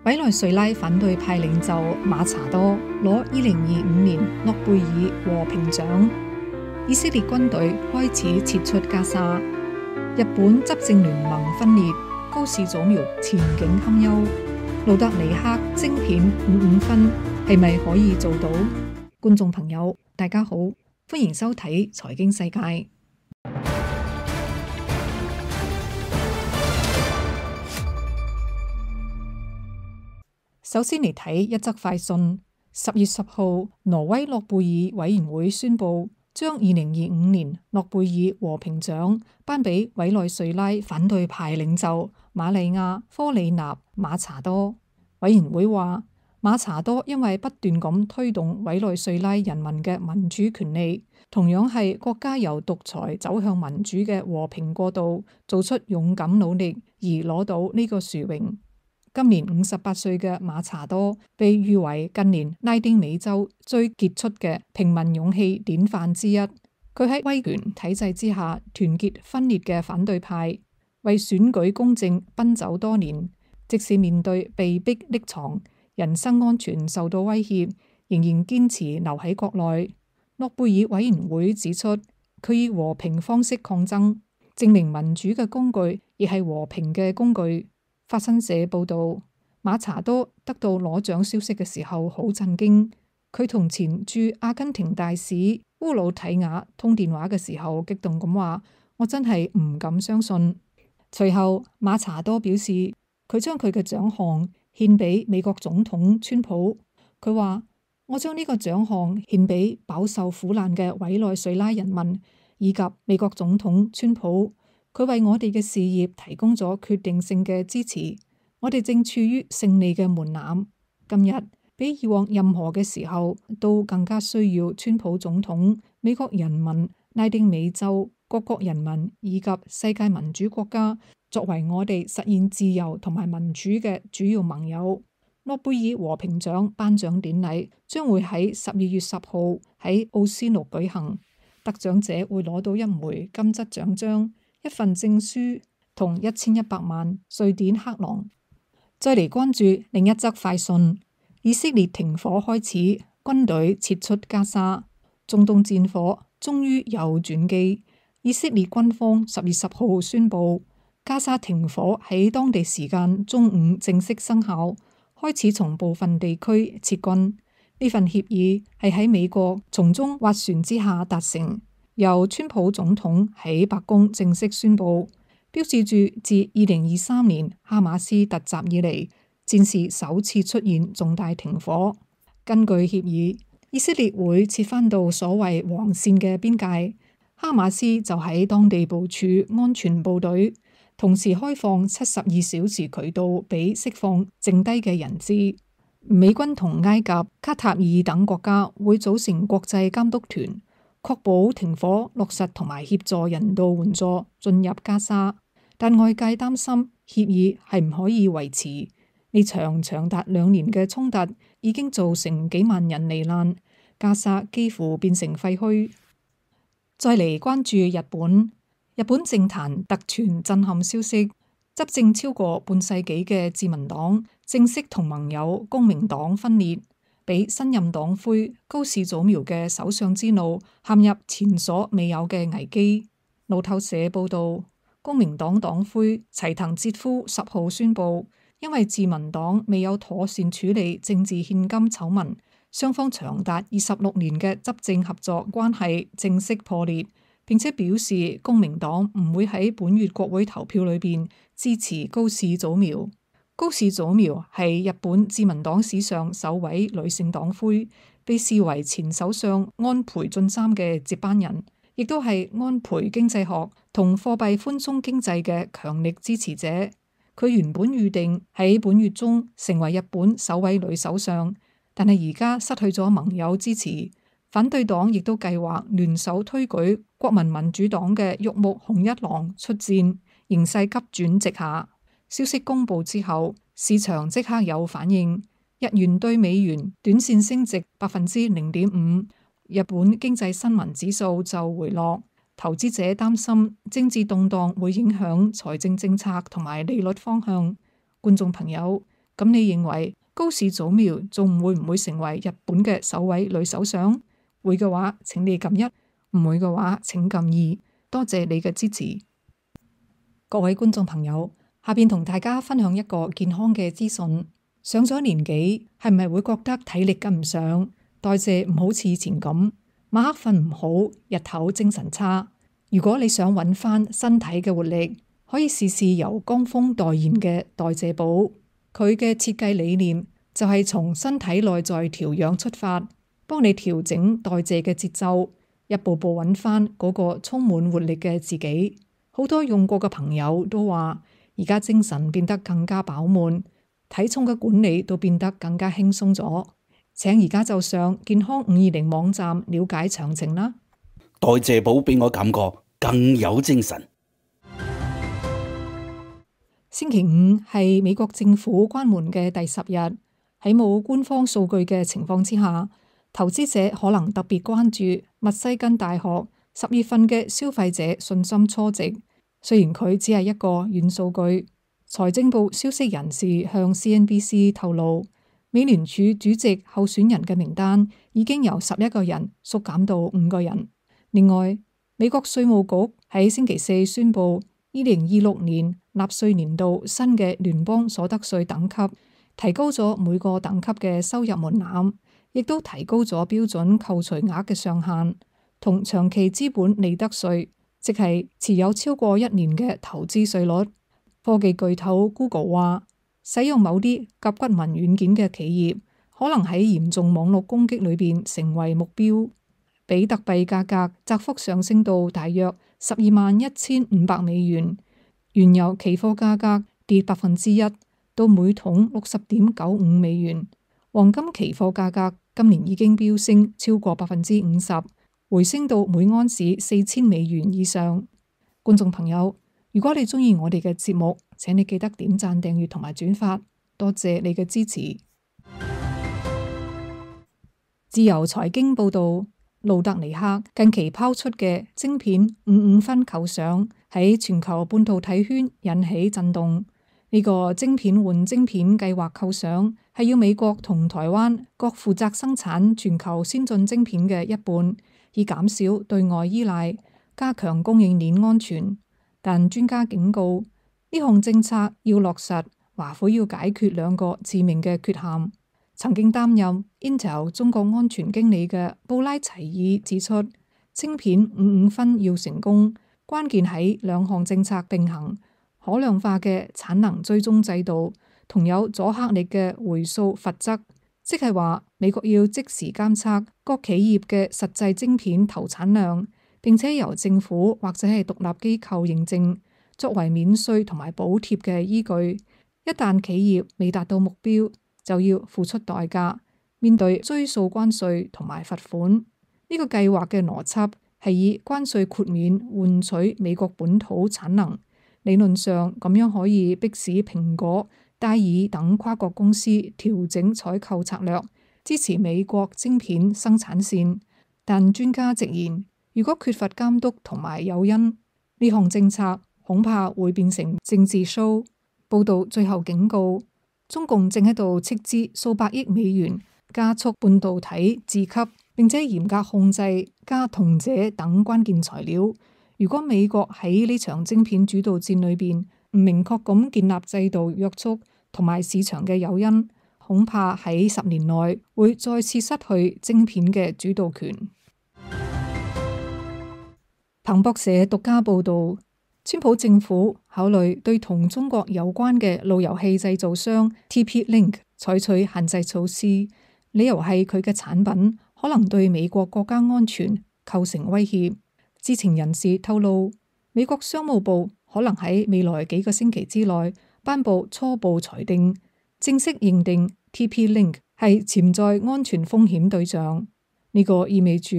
委內瑞拉反對派領袖馬查多攞2025年諾貝爾和平獎。以色列軍隊開始撤出加沙。日本執政聯盟分裂，高市早苗前景堪憂。路德尼克晶片55分係咪可以做到？觀眾朋友，大家好，歡迎收睇財經世界。首先嚟睇一則快訊。10月10號，挪威諾貝爾委員會宣布，將2025年諾貝爾和平獎頒俾委內瑞拉反對派領袖瑪麗亞·科里納·馬查多。委員會話，馬查多因為不斷咁推動委內瑞拉人民嘅民主權利，同樣係國家由獨裁走向民主嘅和平過渡，做出勇敢努力而攞到呢個殊榮。今年58歲嘅馬查多被譽為近年拉丁美洲最傑出嘅平民勇氣典範之一。佢喺威權體制之下團結分裂嘅反對派，為選舉公正奔走多年，即使面對被逼匿藏、人身安全受到威脅，仍然堅持留喺國內。諾貝爾委員會指出，佢以和平方式抗爭，證明民主嘅工具亦係和平嘅工具。法新社報道，馬查多得到攞獎消息嘅時候好震驚。佢同前駐阿根廷大使烏魯提亞通電話嘅時候，激動咁話：我真係唔敢相信。隨後，馬查多表示，佢將佢嘅獎項獻俾美國總統川普。佢話：我將呢個獎項獻俾飽受苦難嘅委內瑞拉人民以及美國總統川普。佢為我哋嘅事業提供咗決定性嘅支持，我哋正處於勝利嘅門檻。今日比以往任何嘅時候都更加需要川普總統、美國人民、拉丁美洲各國人民以及世界民主國家作為我哋實現自由同埋民主嘅主要盟友。諾貝爾和平獎頒獎典禮將會喺12月10號喺奧斯陸舉行，得獎者會攞到一枚金質獎章、一份證書同1100萬瑞典克朗。再嚟關注另一則快訊：以色列停火開始，軍隊撤出加沙，中東戰火終於有轉機。以色列軍方10月10號宣布，加沙停火喺當地時間中午正式生效，開始從部分地區撤軍。呢份協議係喺美國從中斡旋之下達成。由川普總統喺白宮正式宣布，標誌住自2023年哈馬斯突襲以嚟，戰事首次出現重大停火。根據協議，以色列會撤返到所謂黃線嘅邊界，哈馬斯就喺當地部署安全部隊，同時開放72小時渠道俾釋放剩低嘅人質。美軍同埃及、卡塔爾等國家會組成國際監督團，確保停火落實同埋協助人道援助進入加沙，但外界擔心協議係唔可以維持。呢場長達2年嘅衝突已經造成幾萬人罹難，加沙幾乎變成廢墟。再嚟關注日本，日本政壇突傳震撼消息，執政超過半世紀嘅自民黨正式同盟友公明黨分裂。俾新任黨魁高市早苗嘅首相之路陷入前所未有嘅危機。路透社報道，公明黨黨魁齊藤哲夫10號宣布，因為自民黨未有妥善處理政治獻金醜聞，雙方長達26年嘅執政合作關係正式破裂，並且表示公明黨唔會喺本月國會投票裏邊支持高市早苗。高市早苗係日本自民黨史上首位女性黨魁，被視為前首相安倍晉三嘅接班人，亦都係安倍經濟學同貨幣寬鬆經濟嘅強力支持者。佢原本預定喺本月中成為日本首位女首相，但係而家失去咗盟友支持，反對黨亦都計劃聯手推舉國民民主黨嘅玉木雄一郎出戰，形勢急轉直下。消息公布之後，市場即刻有反應，日元對美元短線升值0.5%，日本經濟新聞指數就回落。投資者擔心政治動盪會影響財政政策同埋利率方向。觀眾朋友，咁你認為高市早苗仲會唔會成為日本嘅首位女首相？會嘅話，請你撳1；唔會嘅話，請撳2。多謝你嘅支持。各位觀眾朋友，下邊同大家分享一個健康嘅資訊。上咗年紀，係咪會覺得體力跟唔上，代謝唔好似以前咁，晚黑瞓唔好，日頭精神差？如果你想揾翻身體嘅活力，可以試試由江峰代言嘅代謝寶。佢嘅設計理念就係從身體內在調養出發，幫你調整代謝嘅節奏，一步步揾翻嗰個充滿活力嘅自己。好多用過嘅朋友都話，而家精神變得更加飽滿，體重嘅管理都變得更加輕鬆咗。請而家就上健康520網站了解詳情啦。代謝寶俾我感覺更有精神。星期5係美國政府關門嘅第10日，喺冇官方數據嘅情況之下，投資者可能特別關注密西根大學10月份嘅消費者信心初值。雖然佢只係一個軟數據，財政部消息人士向 CNBC 透露，美聯儲主席候選人嘅名單已經由11個人縮減到5個人。另外，美國稅務局喺星期4宣布2026年納稅年度新嘅聯邦所得稅等級，提高咗每個等級嘅收入門檻，亦都提高咗標準扣除額嘅上限，同長期資本利得稅，即係持有超過1年嘅投資稅率。科技巨頭 Google 話，使用某啲甲骨文軟件嘅企業可能喺嚴重網絡攻擊裏邊成為目標。比特幣價格窄幅上升到大約121500美元，原油期貨價格跌1%到每桶60.95美元，黃金期貨價格今年已經飆升超過50%，回升到每盎司4000美元以上。觀眾朋友，如果你鍾意我哋嘅節目，請你記得點讚、訂閱同埋轉發，多謝你嘅支持。自由財經報道，路德尼克近期拋出嘅晶片55分構想喺全球半導體圈引起震動。呢個晶片換晶片計劃構想係要美國同台灣各負責生產全球先進晶片嘅一半，以減少對外依賴，加強供應鏈安全。但專家警告，呢項政策要落實，華府要解決2個致命嘅缺陷。曾經擔任 Intel 中國安全經理嘅布拉齊爾指出，晶片55分要成功，關鍵喺2項政策並行，可量化嘅產能追蹤制度同有阻嚇力嘅回溯罰則，即係話美國要即時監測各企業嘅實際晶片投產量，並且由政府或者係獨立機構認證，作為免稅同埋補貼嘅依據。一旦企業未達到目標，就要付出代價，面對追溯關稅同埋罰款。呢個計劃嘅邏輯係以關稅豁免換取美國本土產能，理論上咁樣可以迫使蘋果、戴爾等跨國公司調整採購策略，支持美國晶片生產線。但專家直言，如果缺乏監督同埋誘因，呢項政策恐怕會變成政治 show。報道最後警告，中共正喺度斥資數百億美元加速半導體自給，並且嚴格控制鎵同鍺等關鍵材料。如果美國喺呢場晶片主導戰裏邊唔明確咁建立制度約束同埋市場嘅誘因，恐怕喺10年內會再次失去晶片嘅主導權。彭博社獨家報道，川普政府考慮對同中國有關嘅路由器製造商 TP-Link 採取限制措施，理由係佢嘅產品可能對美國國家安全構成威脅。知情人士透露，美國商務部可能喺未來幾個星期之內頒布初步裁定，正式認定 TP-Link 係潛在安全風險對象。呢個意味住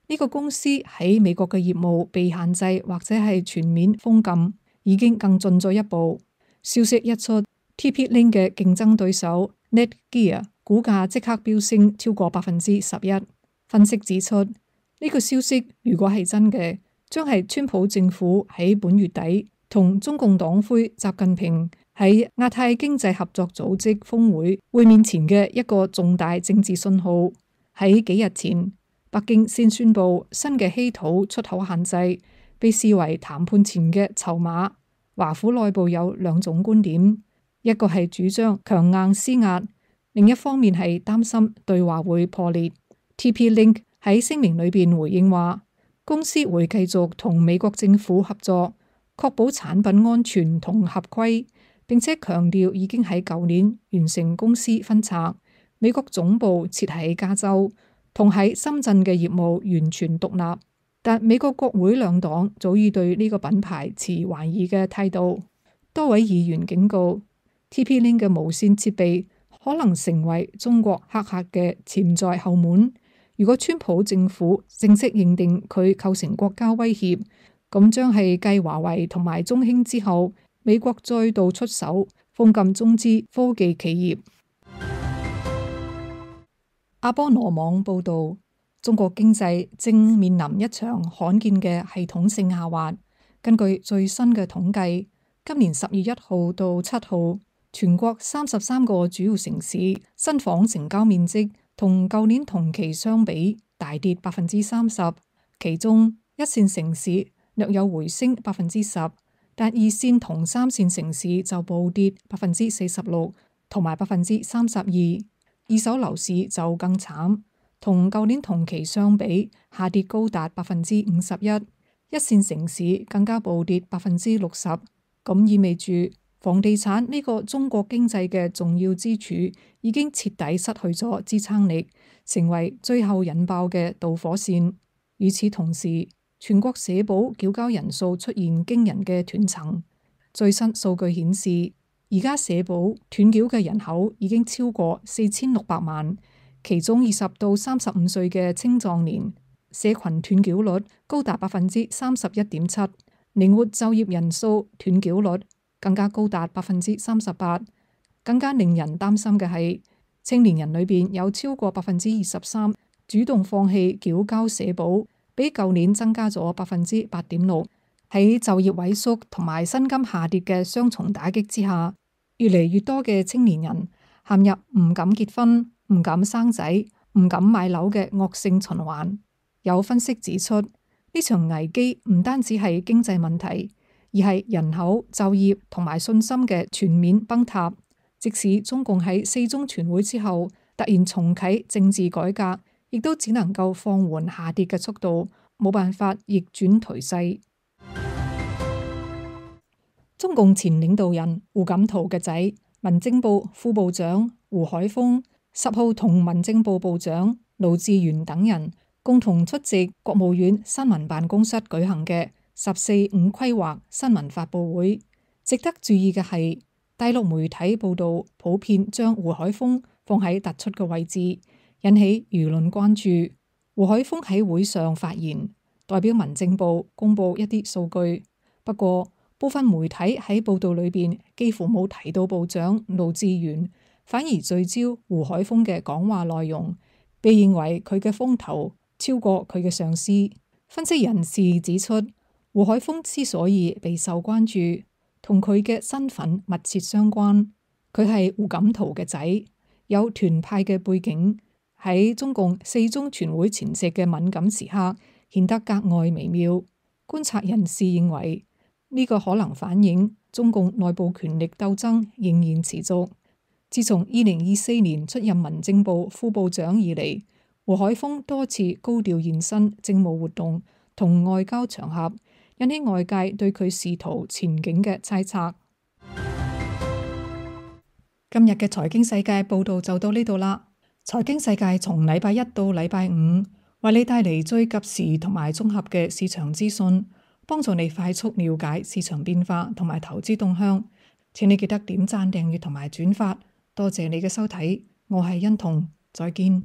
呢個公司喺美國嘅業務被限制或者係全面封禁，已經更進咗一步。消息一出， TP-Link 嘅競爭對手 Netgear 股價即刻飆升超過11%。分析指出，呢個消息如果係真嘅，將係川普政府喺本月底同中共黨魁習近平喺亞太經濟合作組織峰會會面前嘅一個重大政治信號。喺幾日前，北京先宣布新嘅稀土出口限制被視為談判前嘅籌碼。華府內部有兩種觀點，一個係主張強硬施壓，另一方面係擔心對話會破裂。TP-Link 喺聲明裏邊回應話，公司會繼續同美國政府合作，確保產品安全同合規，並且強調已經喺舊年完成公司分拆，美國總部設喺加州，同喺深圳嘅業務完全獨立。但美國國會兩黨早已對呢個品牌持懷疑嘅態度。多位議員警告 TP-Link 嘅無線設備可能成為中國黑客嘅潛在後門。如果川普政府正式認定佢構成國家威脅，咁將係繼華為同埋中興之後，美國再度出手封禁中資科技企業。阿波羅網報導，中國經濟正面臨一場罕見嘅系統性下滑。根據最新嘅統計，今年10月1號到7號，全國33個主要城市新房成交面積同舊年同期相比大跌30%，其中一線城市略有回升10%，但二線同三線城市就暴跌46%同埋32%。二手樓市就更慘，同舊年同期相比下跌高達51%，一線城市更加暴跌60%。咁意味住房地產呢個中國經濟嘅重要支柱已經徹底失去咗支撐力，成為最後引爆嘅導火線。與此同時，全國社保繳交人數出現驚人嘅斷層。最新數據顯示，而家社保斷繳嘅人口已經超過4600萬，其中20到35歲嘅青壯年社群斷繳率高達31.7%，靈活就業人數斷繳率更加高達38%。更加令人擔心嘅係，青年人裏邊有超過23%主動放棄繳交社保，比舊年增加咗8.6%。喺就業萎縮同埋薪金下跌嘅雙重打擊之下，越嚟越多嘅青年人陷入唔敢結婚、唔敢生仔、唔敢買樓嘅惡性循環。有分析指出，呢場危機唔單止係經濟問題，而係人口、就業同埋信心嘅全面崩塌。即使中共喺4中全會之後突然重啟政治改革，亦都只能夠放緩下跌嘅速度，冇辦法逆轉頹勢。中共前領導人胡錦濤嘅仔、民政部副部長胡海峰10號同民政部部長盧志源等人共同出席國務院新聞辦公室舉行嘅14五規劃新聞發佈會。值得注意嘅係，大陸媒體報道普遍將胡海峰放喺突出嘅位置，引起輿論關注。胡海峰喺會上發言，代表民政部公布一啲數據，不過部分媒體喺報道裏邊幾乎冇提到部長盧志源，反而聚焦胡海峰嘅講話內容，被認為佢嘅風頭超過佢嘅上司。分析人士指出，胡海峰之所以備受關注，同佢嘅身份密切相關。佢係胡錦濤嘅仔，有團派嘅背景，喺中共4中全會前夕嘅敏感時刻顯得格外微妙。觀察人士認為，呢個可能反映中共內部權力鬥爭仍然持續。自從2024年出任民政部副部長以嚟，胡海峰多次高調現身政務活動同外交場合，引起外界對佢仕途前景嘅猜測。今日嘅財經世界報道就到呢度啦。財經世界從禮拜一到禮拜五，為你帶嚟最及時同埋綜合嘅市場資訊，幫助你快速了解市場變化同埋投資動向。請你記得點讚、訂閱同埋轉發。多謝你嘅收睇，我係欣彤，再見。